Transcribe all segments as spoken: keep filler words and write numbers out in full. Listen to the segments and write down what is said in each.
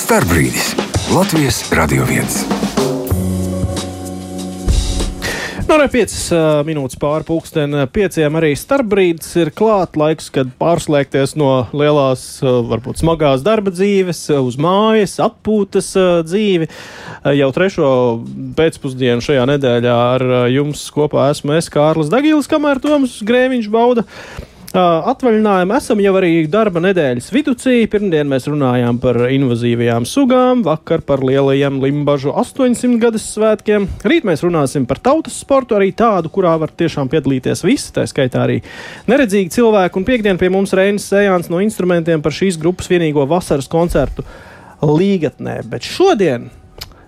Starbrīdis Latvijas Radio viens. Nu, arī piecas uh, minūtes pāri pulksteni pieciem arī starpbrīdis ir klāt laiks, kad pārslēgties no lielās, uh, varbūt smagās darba dzīves uh, uz mājas, atpūtas uh, dzīvi. Uh, jau trešo pēcpusdienu šajā nedēļā ar uh, jums kopā esmu es, Kārlis Dagīlis, kamēr Toms Grēviņš bauda Uh, atvaļinājumu. Esam jau arī darba nedēļas viducī. Pirmdien mēs runājām par invazīvajām sugām, vakar par lielajiem Limbažu astoņsimt gadas svētkiem. Rīt mēs runāsim par tautas sportu, arī tādu, kurā var tiešām piedalīties visi, tā skaitā arī neredzīgi cilvēki. Un piekdien pie mums Reinis Sējāns no instrumentiem par šīs grupas vienīgo vasaras koncertu Līgatnē. Bet šodien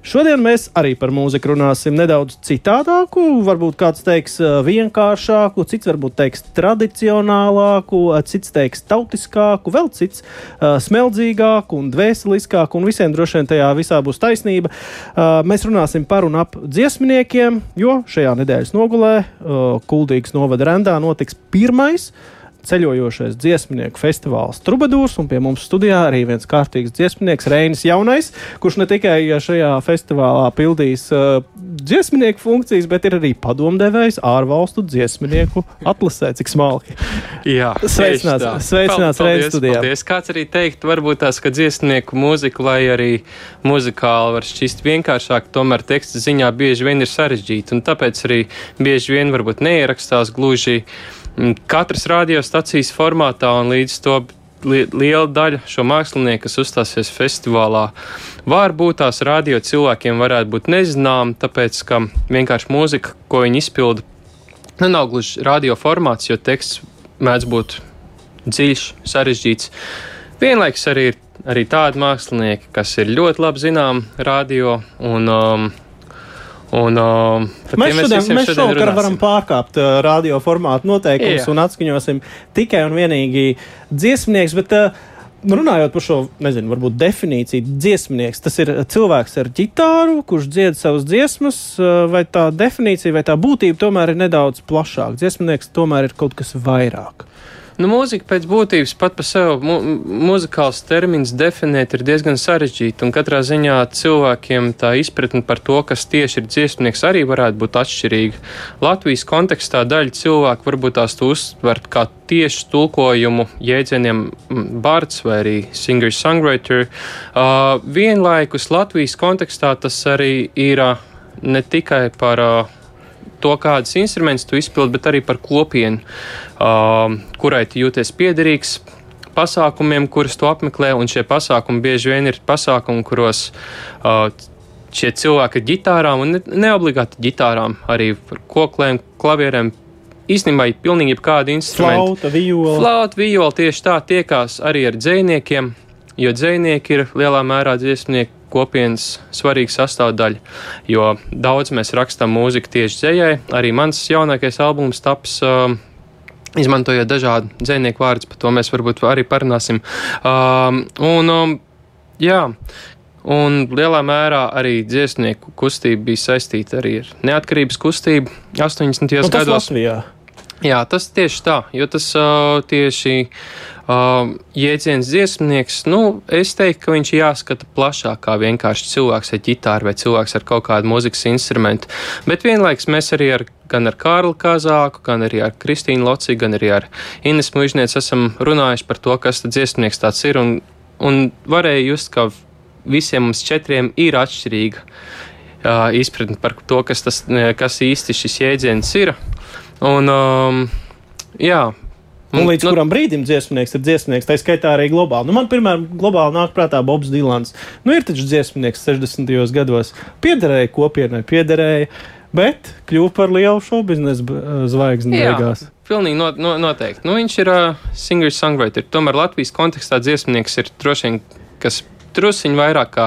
Šodien mēs arī par mūziku runāsim nedaudz citādāku, varbūt kāds teiks vienkāršāku, cits varbūt teiks tradicionālāku, cits teiks tautiskāku, vēl cits uh, smeldzīgāku un dvēseliskāku, un visiem droši vien tajā visā būs taisnība. Uh, mēs runāsim par un ap dziesminiekiem, jo šajā nedēļas nogulē uh, Kuldīgas novada Rendā notiks pirmais ceļojošais dziesminieku festivāls Trubadūrs, un pie mums studijā arī viens kārtīgs dziesminieks Reinis Jaunais, kurš ne tikai šajā festivālā pildīs uh, dziesminieku funkcijas, bet ir arī padomdevējs ārvalstu dziesminieku atlasē, cik smalki. Jā, sveicināts, sveicināts Reinis studijā. Paldies. Kāds arī teikt, varbūt tās, ka dziesminieku mūzika, lai arī muzikāli var šķist vienkāršāk, tomēr teksta ziņā bieži vien ir sarežģīta, un tāpēc arī bieži vien varbūt neierakstās gluži katras radiostacijas formātā, un līdz to li- liela daļa šo mākslinieku, kas uzstāsies festivālā, varbūt tās radio cilvēkiem varētu būt nezinām, tāpēc, ka vienkārši mūzika, ko viņi izpilda, nu, nav gluži radio formāts, jo teksts mēdz būt dziļš, sarežģīts. Vienlaiks arī ir arī tādi mākslinieki, kas ir ļoti labi zinām radio, un um, Un, uh, mēs šodien, mēs šovakar varam pārkāpt uh, radio formātu noteikumus un atskaņosim tikai un vienīgi dziesminieks, bet uh, runājot par šo, nezinu, varbūt definīciju, dziesminieks, tas ir cilvēks ar ģitāru, kurš dzied savas dziesmas, uh, vai tā definīcija, vai tā būtība tomēr ir nedaudz plašāka. Dziesminieks tomēr ir kaut kas vairāk. Nu, mūzika pēc būtības pat par sevi, mu, muzikāls termins definēt ir diezgan sarežģīti, un katrā ziņā cilvēkiem tā izpratne par to, kas tieši ir dziesminieks, arī varētu būt atšķirīga. Latvijas kontekstā daļa cilvēku varbūt tās to uztvert kā tieši tulkojumu jēdzieniem bards vai arī singer-songwriter. Uh, vienlaikus Latvijas kontekstā tas arī ir uh, ne tikai par uh, to, kādas instrumentus tu izpildi, bet arī par kopienu, uh, kurai tu jūties piederīgs, pasākumiem, kurus tu apmeklē, un šie pasākumi bieži vien ir pasākumi, kuros uh, šie cilvēki ar ģitārām, un ne, neobligāti ģitārām, arī par koklēm, klavierēm, īstenībā ir pilnīgi jebkādi instrumenti. Flauta, viola. Flauta, viola tieši tā tiekās arī ar dzejniekiem, jo dzejnieki ir lielā mērā dziesmnieku kopienas svarīga sastāvdaļa, jo daudz mēs rakstām mūziku tieši dzejai. Arī mans jaunākais albums taps uh, izmantojot dažādu dzejnieku vārdus, par to mēs varbūt arī parunāsim. Uh, un, um, jā, un lielā mērā arī dziesmnieku kustība bija saistīta arī ar neatkarības kustību astoņdesmitajos gados. Latvijā. Jā, tas tieši tā, jo tas uh, tieši uh, jēdziens dziesmnieks, nu, es teiktu, ka viņš jāskata plašāk kā vienkārši cilvēks ar ģitāru vai cilvēks ar kaut kādu mūzikas instrumentu. Bet vienlaiks mēs arī ar, gan ar Kārli Kazāku, gan arī ar Kristīnu Loci, gan arī ar Ines Muižnieci esam runājuši par to, kas tad dziesmnieks tāds ir, un, un varēja just, ka visiem mums četriem ir atšķirīga uh, izpratne par to, kas, tas, kas īsti šis jēdziens ir. Un, um, jā. Un līdz nu, kuram brīdim dziesminieks ir dziesminieks, tā skaitā arī globāli. Nu, man, piemēram, globāli nāk prātā Bobs Dilans. Nu, ir taču dziesminieks sešdesmitajos gados. Piederēja kopienai, piederēja, bet kļuva par lielu šobiznesa zvaigzni beigās. Jā, pilnīgi not, no, noteikti. Nu, viņš ir uh, singer-songwriter. Tomēr Latvijas kontekstā dziesminieks ir droši vien, kas trusiņi vairāk kā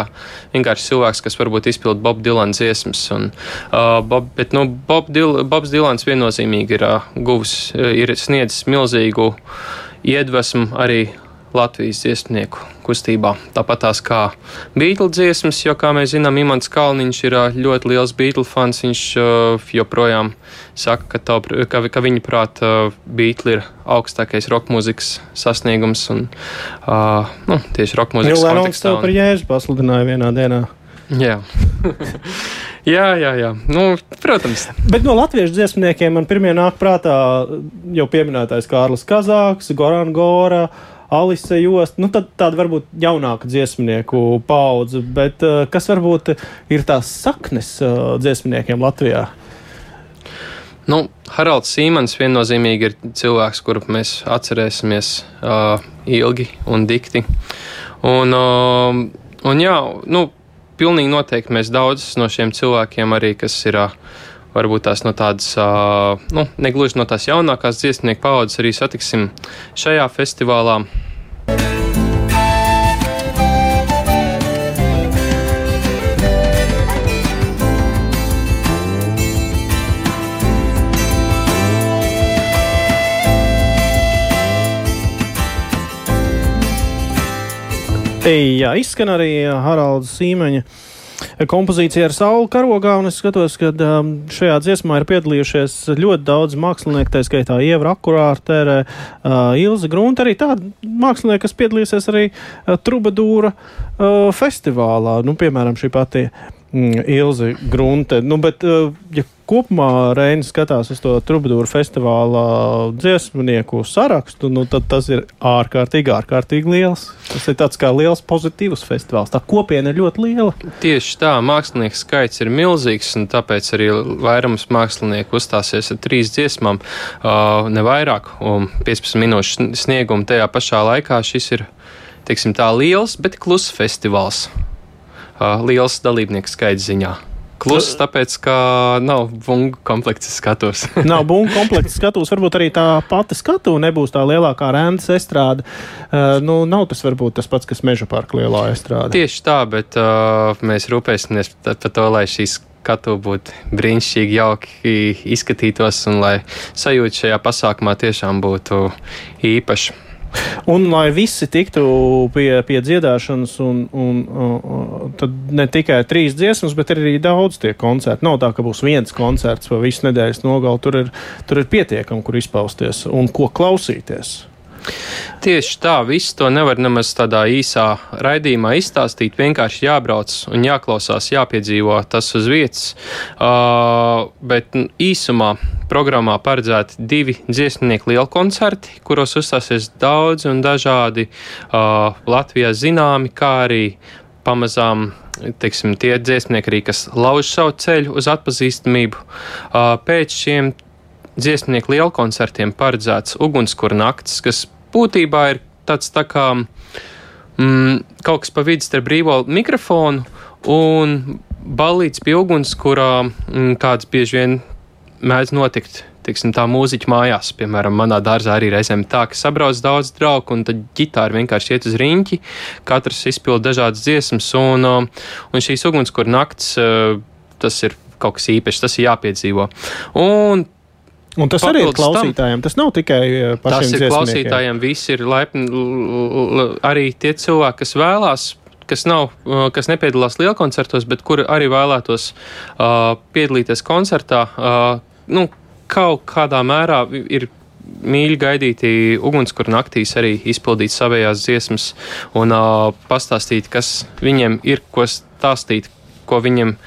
vienkārši cilvēks, kas varbūt izpild Bob Dylan dziesmas. Un, uh, Bob, bet, nu, Bob Dil, Bobs Dylans viennozīmīgi ir uh, guvis, uh, ir sniedzis milzīgu iedvesmu arī Latvijas dziesmnieku kustībā. Tāpat tās kā Beatles dziesmas, jo, kā mēs zinām, Imants Kalniņš ir ļoti liels Beatles fans. Viņš uh, joprojām saka, ka, tā, ka, ka viņa prāt uh, Beatles ir augstākais roka mūzikas sasniegums un uh, nu, tieši roka mūzikas kontekstā. Lenons tev par Jēzu pasludināja vienā dienā. Jā. jā, jā, jā. Nu, protams. Bet no latviešu dziesmniekiem man pirmie nāk prātā jau pieminētais Kārlis Kazāks, Goran Gora, Alise Jost, nu tad tāda varbūt jaunāka dziesmnieku paudze, bet uh, kas varbūt ir tās saknes uh, dziesmniekiem Latvijā? Nu, Haralds Sīmans viennozīmīgi ir cilvēks, kuru mēs atcerēsimies uh, ilgi un dikti. Un, uh, un jā, nu, pilnīgi noteikti mēs daudzus no šiem cilvēkiem arī, kas ir uh, varbūt tās no tādas, uh, nu, negluži no tās jaunākās dziesmnieku paudzes arī satiksim šajā festivālā. Jā, izskan arī Haralda Sīmeņa kompozīcija ar sauli karogā, un es skatos, ka um, šajā dziesmā ir piedalījušies ļoti daudz mākslinieku, tā skaitā Ieva Rakurārtere, uh, Ilze Grunte, arī tādi mākslinieki, kas piedalīsies arī uh, Trubadūra uh, festivālā, nu, piemēram, šī pati mm, Ilze Grunte. Nu, bet, uh, ja kopumā Reinis skatās uz to Trubadūra festivālā dziesmnieku sarakstu, nu, tad tas ir ārkārtīgi, ārkārtīgi liels. Tas ir tāds kā liels pozitīvs festivāls. Tā kopiena ir ļoti liela. Tieši tā, mākslinieku skaits ir milzīgs, un tāpēc arī vairums mākslinieku uzstāsies ar trīs dziesmām, uh, ne vairāk, un piecpadsmit minūšu sniegumu tajā pašā laikā. Šis ir, teiksim tā, liels, bet kluss festivāls. Uh, liels dalībnieku skaits ziņā. Kluss, tāpēc, ka nav bungu komplekts skatos. Nav bungu komplekts skatos, varbūt arī tā pati skatu nebūs tā lielākā Rendes estrāde. Uh, nu, nav tas varbūt tas pats, kas Meža parka lielā estrāde. Tieši tā, bet uh, mēs rūpēsimies par to, lai šīs skatu būtu brīnišķīgi, jauki izskatītos un lai sajūta šajā pasākumā tiešām būtu īpaša. Un lai visi tiktu pie, pie dziedāšanas, un, un, un tad ne tikai trīs dziesmas, bet arī daudz tie koncerti. Nav tā, ka būs viens koncerts pa visu nedēļas nogali. Tur ir, tur ir pietiekami, kur izpausties un ko klausīties. Tieši tā, visu to nevar nemaz tādā īsā raidījumā izstāstīt. Vienkārši jābrauc un jāklausās, jāpiedzīvo tas uz vietas. Uh, bet īsumā programmā paredzēti divi dziesmnieku lieli koncerti, kuros uzstāsies daudz un dažādi uh, Latvijā zināmi, kā arī pamazām, teiksim, tie dziesmnieki arī, kas lauž savu ceļu uz atpazīstamību. Uh, pēc šiem dziesmnieku lielu koncertiem paredzēts Ugunskura naktis, kas būtībā ir tāds tā kā mm, kaut kas pa vidu starp brīvo mikrofonu un ballīts pie ugunskura, mm, kāds bieži vien mēdz notikt, teiksim, tā mūziķa mājās. Piemēram, manā dārzā arī reizēm tā, ka sabrauc daudz draugu, un tad ģitāri vienkārši iet uz riņķi, katrs izpild dažādas dziesmas, un, un šīs Ugunskura naktis, tas ir kaut kas īpašs, tas ir jāpiedzīvo. Un Un tas arī ir klausītājiem, tas nav tikai pašiem dziesmniekiem. Tas ir klausītājiem, visi ir laipni, arī tie cilvēki, kas vēlās, kas nav, kas nepiedalās lielkoncertos, bet kuri arī vēlētos uh, piedalīties koncertā, uh, nu, kaut kādā mērā ir mīļi gaidīti Ugunskura naktīs arī izpildīt savējās dziesmas un uh, pastāstīt, kas viņiem ir, ko stāstīt, ko viņam,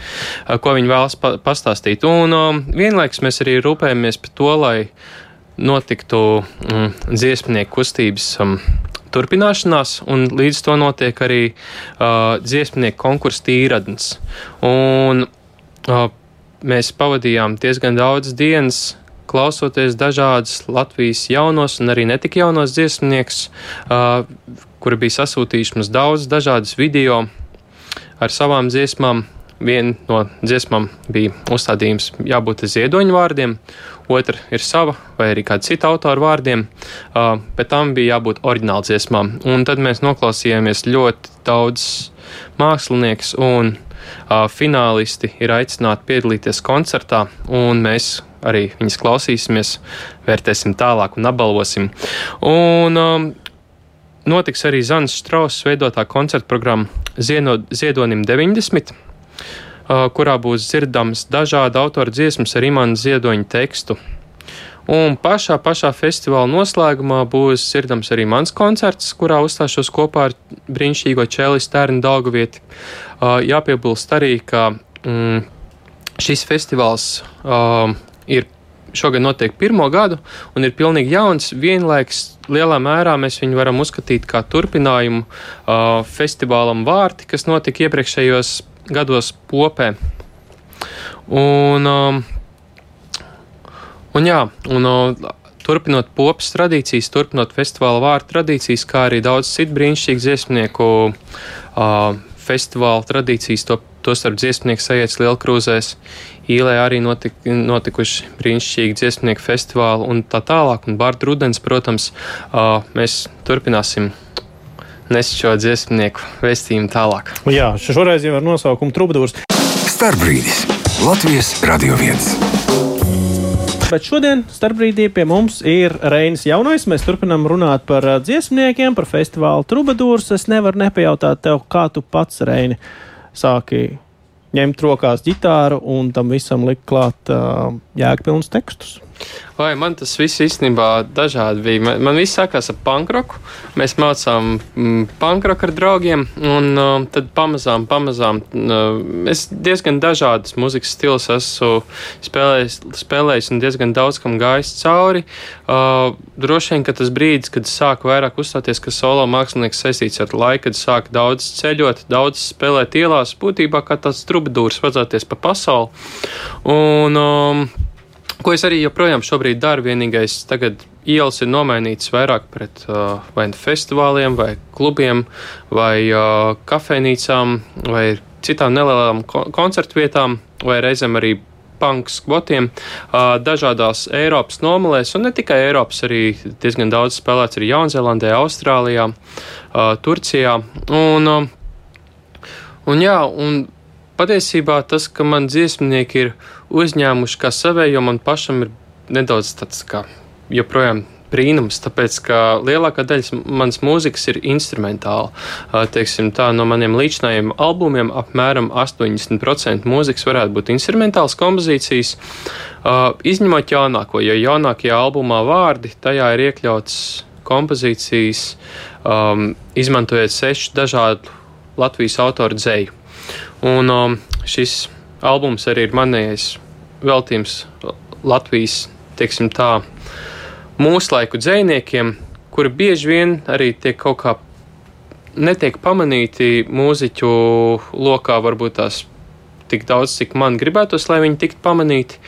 ko viņi vēlas pastāstīt. Un um, vienlaikus mēs arī rūpējamies par to, lai notiktu um, dziesmnieku kustības um, turpināšanās, un līdz to notiek arī uh, dziesmnieku konkursa tīradnes. Un uh, mēs pavadījām diezgan daudz dienas, klausoties dažādas Latvijas jaunos un arī netik jaunos dziesmniekus, uh, kuri bija sasūtījuši mums daudz dažādas video ar savām dziesmām. Viena no dziesmām bija uzstādījums jābūt ziedoņu vārdiem, otra ir sava vai arī kāda cita autora vārdiem, uh, bet tam bija jābūt oriģināla dziesmām. Un tad mēs noklausījāmies ļoti daudz mākslinieks, un uh, finālisti ir aicināti piedalīties koncertā, un mēs arī viņas klausīsimies, vērtēsim tālāk un apbalvosim. Un, um, notiks arī Zanas Štrausas veidotā koncerta programma Ziedonim deviņdesmit, kurā būs dzirdams dažādi autora dziesmas ar Imanta Ziedoņa tekstu. Un pašā, pašā festivāla noslēgumā būs dzirdams arī mans koncerts, kurā uzstāšos kopā ar brīnišķīgo čelistu Ērnu Daugavieti. Jāpiebilst arī, ka mm, šis festivāls uh, ir šogad notiek pirmo gadu un ir pilnīgi jauns. Vienlaiks lielā mērā mēs viņu varam uzskatīt kā turpinājumu uh, festivālam Vārti, kas notika iepriekšējos gados Popē. Un, um, un jā, un uh, turpinot Popas tradīcijas, turpinot festivāla Vārti tradīcijas, kā arī daudz citu brīnišķīgu dziesmnieku uh, festivāla tradīcijas, to, to starp dziesmnieku sajēdz Lielkrūzēs. Īlē arī notik, notikuši brīnišķīgi dziesmnieku festivāli un tā tālāk. Un Bārta Rudens, protams, uh, mēs turpināsim nest šo dziesmnieku vēstījumu tālāk. Jā, šoreiz jau ar nosaukumu Trubadūrs. Starpbrīdis Latvijas Radio viens. Bet šodien starpbrīdī pie mums ir Reinis Jaunais. Mēs turpinām runāt par dziesmniekiem, par festivālu Trubadūrs. Es nevaru nepajautāt tev, kā tu pats, Reini, sāki ņemt rokās ģitāru un tam visam likt klāt uh, jēgpilnus tekstus. Vai man tas viss īstenībā dažādi bija. Man, man viss sākās ar punkroku. Mēs mācām mm, punkroku ar draugiem, un uh, tad pamazām, pamazām uh, es diezgan dažādas muzikas stilus esmu spēlējis, spēlējis un diezgan daudz kam gājis cauri. Uh, droši vien, ka tas brīdis, kad sāku vairāk uzstāties, ka solo mākslinieks saistīts ar laiku, kad sāku daudz ceļot, daudz spēlēt ielās, būtībā kā tāds trubadūrs vadzāties pa pasauli. Un um, ko es arī joprojām šobrīd daru, vienīgais tagad ielas ir nomainītas vairāk pret uh, vai festivāliem, vai klubiem, vai uh, kafejnīcām, vai citām nelielām ko- koncertu vietām, vai reizēm arī punk skvotiem, uh, dažādās Eiropas nomalēs, un ne tikai Eiropas, arī diezgan daudz spēlēts arī Jaunzēlandē, Austrālijā, uh, Turcijā. Un, uh, un jā, un patiesībā tas, ka man dziesmnieki ir uzņēmuši kā savējo, man pašam ir nedaudz tāds kā joprojām brīnums, tāpēc, ka lielākā daļa manas mūzikas ir instrumentāla. Teiksim tā, no maniem līdzinājiem albumiem apmēram astoņdesmit procenti mūzikas varētu būt instrumentāls kompozīcijas, izņemot jaunāko, jo jaunākajā albumā Vārdi, tajā ir iekļauts kompozīcijas, um, izmantojot sešu dažādu Latvijas autoru dzeju. Un um, šis albums arī ir manējais veltījums Latvijas, teiksim tā, mūslaiku dzejniekiem, kuri bieži vien arī tiek kaut kā netiek pamanīti mūziķu lokā, varbūt tās tik daudz, cik man gribētos, lai viņi tiktu pamanīti.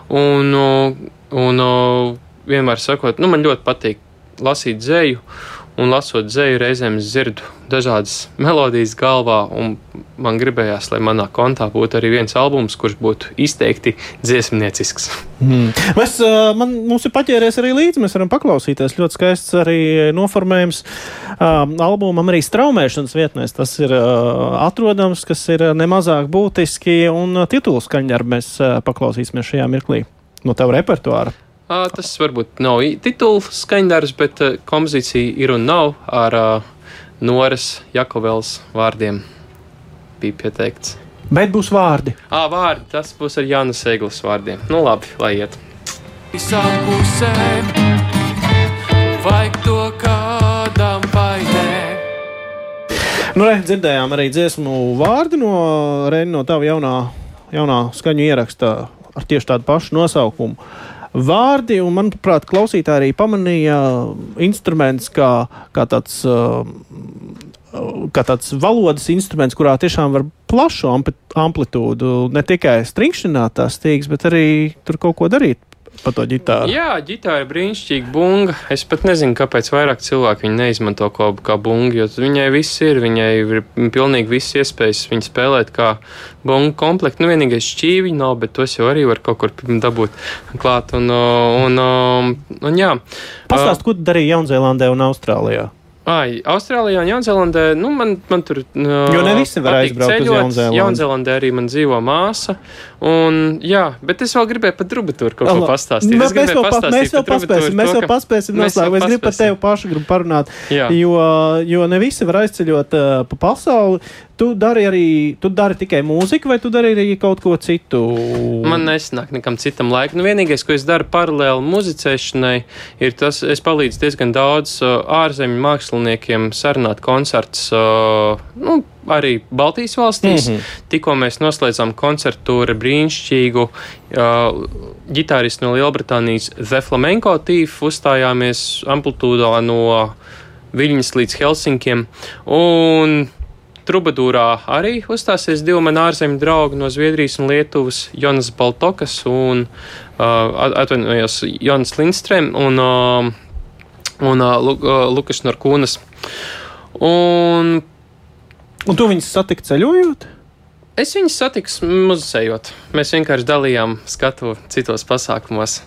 Un, un vienmēr sakot, nu, man ļoti patīk lasīt dzeju, un lasot dzeju reizēm es dzirdu dažādas melodijas galvā, un man gribējās, lai manā kontā būtu arī viens albums, kurš būtu izteikti dziesmniecisks. Mm. Mēs, man, mums ir paķēries arī līdzi, mēs varam paklausīties. Ļoti skaists arī noformējums um, albumam arī straumēšanas vietnēs. Tas ir uh, atrodams, kas ir nemazāk būtiski, un uh, titulu skaņdarbu mēs uh, paklausīsimies šajā mirklī no tava repertuāra. À, tas varbūt nav titulu skaņdarbs, bet uh, kompozīcija ir un nav ar uh, Noras Jakovels vārdiem bija pieteikts. Bet būs vārdi. Ā, vārdi, tas būs ar Jānas Eglas vārdiem. Nu labi, lai iet. Visām pusēm vajag to kādam baidēm. Nu, re, dzirdējām arī dziesmu vārdi no Reini, no tava jaunā, jaunā skaņu ieraksta ar tieši tādu pašu nosaukumu. Vārdi, un manuprāt, klausītāji arī pamanīja instruments kā, kā tāds, kā tāds valodas instruments, kurā tiešām var plašu amplitūdu, ne tikai stringšināt tās stīgas, bet arī tur kaut ko darīt pa to ģitāru. Jā, ģitāra ir brīnišķīga bunga. Es pat nezinu, kāpēc vairāk cilvēki viņu neizmanto kā, kā bungu, jo viņai viss ir, viņai ir pilnīgi viss iespējas viņu spēlēt kā bungu komplektu. Nu, vienīgais šķīviņi nav, bet tos jau arī var kaut kur dabūt klāt. Un, un, un, un jā. Pastāst, ko darīja Jaunzēlandē un Austrālijā? Ai, Austrālijā un Jaunzēlandē, nu, man, man tur uh, jo ne visi var aizbraukt ceļot. uz Jaunzēlandi. Jaunzēlandē arī man dzīvo māsa. Un, jā, bet es vēl gribēju par Trubadūru kaut ko pastāstīt. Mēs, es mēs, vēl, pa, mēs vēl paspēsim, mēs to, vēl paspēsim noslēgt. Es gribu par tevi pašu gribu parunāt, jo, jo ne visi var aizceļot uh, pa pasauli. Tu dari arī, tu dari tikai mūziku, vai tu dari arī kaut ko citu? Man nesanāk nekam citam laikam. Nu, vienīgais, ko es daru paralēli muzicēšanai, ir tas, es palīdzu diezgan daudz uh, ārzemju māksliniekiem sarunāt koncerts, uh, nu, arī Baltijas valstīs. Mm-hmm. Tikko mēs noslēdzām koncertūru brīnišķīgu uh, ģitāristu no Lielbritānijas The Flamenco Thief, uzstājāmies amplitūdā no Viļņas līdz Helsinkiem, un Trubadūrā arī uzstāsies divi mani ārzemju draugi no Zviedrijas un Lietuvas, Jonas Baltokas un uh, atvainojos Jonas Lindstrēm un, uh, un uh, Lukas Norkūnas. Un, un tu viņus satikt ceļojot? Es viņus satiku muzicējot. Mēs vienkārši dalījām skatu citos pasākumos.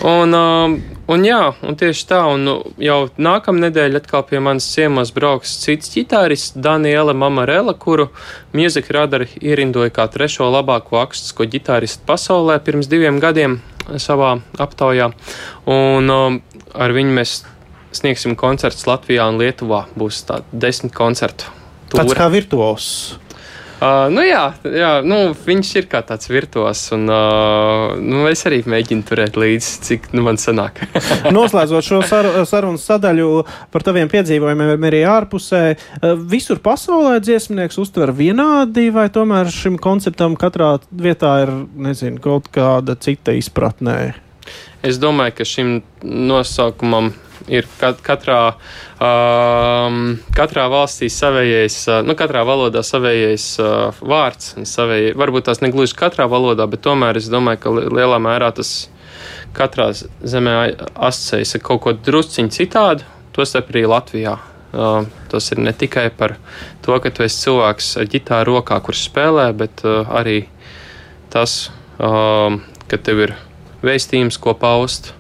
Un, um, un jā, un tieši tā, un jau nākamā nedēļa atkal pie manas ciemos brauks cits ģitārists Daniela Mamarela, kuru Music Radar ierindoja kā trešo labāko akustisko ģitāristu pasaulē pirms diviem gadiem savā aptaujā. Un um, ar viņu mēs sniegsim koncertus Latvijā un Lietuvā. Būs tādi desmit koncertu tūri. Tāds kā virtuos. Uh, nu jā, jā nu, viņš ir kā tāds virtuos, un uh, nu, es arī mēģinu turēt līdzi, cik nu, man sanāk. Noslēdzot šo sar sarunas sadaļu par taviem piedzīvojumiem arī ārpusē, visur pasaulē dziesmnieks uztver vienādi, vai tomēr šim konceptam katrā vietā ir, nezinu, kaut kāda cita izpratnē? Es domāju, ka šim nosaukumam ir kat katrā, um, katrā valstī savējais, uh, nu, katrā valodā savējais uh, vārds. Savējai, varbūt tās negluži katrā valodā, bet tomēr es domāju, ka lielā mērā tas katrā zemē asociējas ar kaut ko drusciņu citādu, tostarp arī Latvijā. Uh, tas ir ne tikai par to, ka tu esi cilvēks ar ģitāru rokā, kurš spēlē, bet uh, arī tas, uh, ka tev ir vēstījums, ko paust,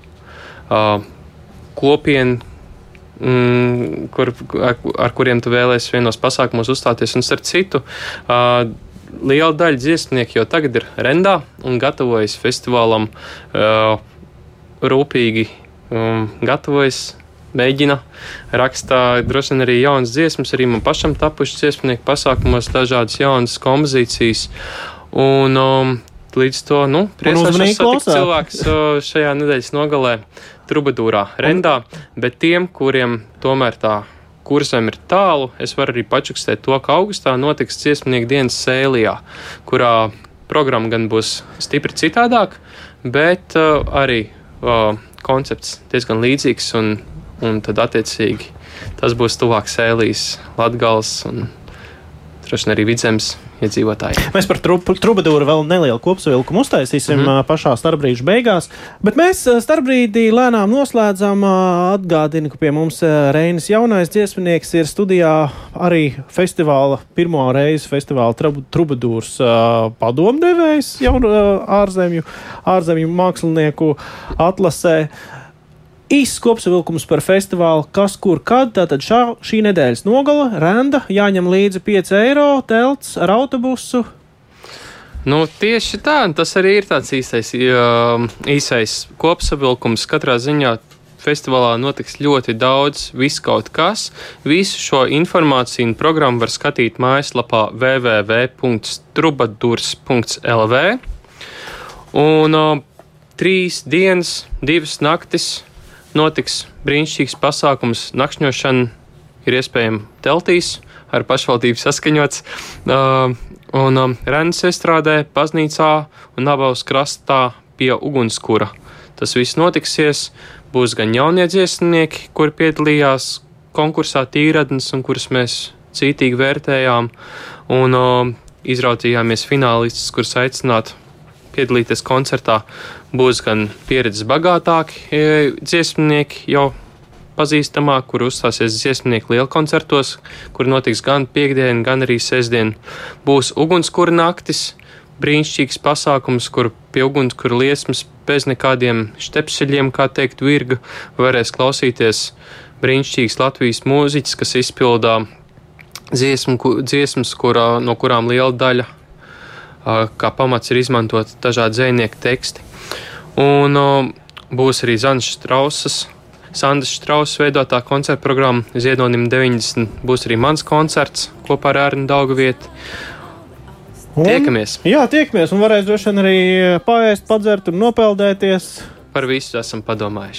uh, kopienu, mm, kur, ar, ar kuriem tu vēlēsi vienos pasākumos uzstāties. Un starp citu, uh, liela daļa dziesmnieku jau tagad ir rendā un gatavojas festivālam, uh, rūpīgi um, gatavojas, mēģina, rakstā droši vien arī jaunas dziesmas, arī man pašam tapušas dziesmnieku pasākumos dažādas jaunas kompozīcijas. Un um, līdz to, nu, priecāšos satikt cilvēks uh, šajā nedēļas nogalē Trubadūrā, rendā, bet tiem, kuriem tomēr tā kursam ir tālu, es varu arī pačukstēt to, ka augustā notiks dziesmnieku dienas Sēlijā, kurā programma gan būs stipri citādāk, bet uh, arī uh, koncepts diezgan līdzīgs, un, un tad attiecīgi tas būs tuvāk Sēlijas, Latgales un droši vien arī Vidzemes iedzīvotāji. Mēs par Trubadūru vēl nelielu kopsavilkumu uztaisīsim mm. pašā starpbrīža beigās, bet mēs starpbrīdī lēnām noslēdzam. Atgādinu, ka pie mums Reinis jaunais dziesminieks ir studijā arī festivāla, pirmo reizi festivāla Trubadūras padomdevējs jaunu ārzemju, ārzemju mākslinieku atlasē. Īsts kopsavilkums par festivālu, kas, kur, kad, tātad šā, šī nedēļas nogala, renda, jāņem līdzi pieci eiro, telts ar autobusu. Nu, tieši tā, tas arī ir tāds īsais, īsais kopsavilkums. Katrā ziņā festivālā notiks ļoti daudz, viss kaut kas. Visu šo informāciju un programmu var skatīt mājaslapā w w w punkts trubadurs punkts l v. Un uh, trīs dienas, divas naktis notiks brīnišķīgs pasākums. Nakšņošana ir iespējama teltīs, ar pašvaldību saskaņots. Uh, un um, Rennes estrādē, baznīcā un Nabavas krastā pie ugunskura. Tas viss notiksies. Būs gan jaunie dziesmnieki, kuri piedalījās konkursā Tīradnes un kurus mēs cītīgi vērtējām. Un uh, izraudzījāmies finālistus, kurus aicināt piedalīties koncertā. Būs gan pieredzes bagātāki e, dziesmnieki jau pazīstamāk, kur uzstāsies dziesmnieki lielkoncertos, kur notiks gan piekdien, gan arī sestdien. Būs ugunskura naktis, brīnišķīgs pasākums, kur pie ugunskura liesmas bez nekādiem štepseļiem, kā teikt, virga, varēs klausīties brīnišķīgs Latvijas mūziķis, kas izpildā dziesmu, dziesmas, kurā, no kurām liela daļa kā pamats ir izmantot dažādi dzejnieku teksti. Un būs arī Zanas Štrausas, Sandas Štrausas veidotā koncerta programma Ziedonim deviņdesmit. Būs arī mans koncerts kopā ar Ērnu Daugavietu. Tiekamies. Jā, tiekamies un varēs droši vien arī paēst, padzert un nopeldēties. Par visu esam padomājuši.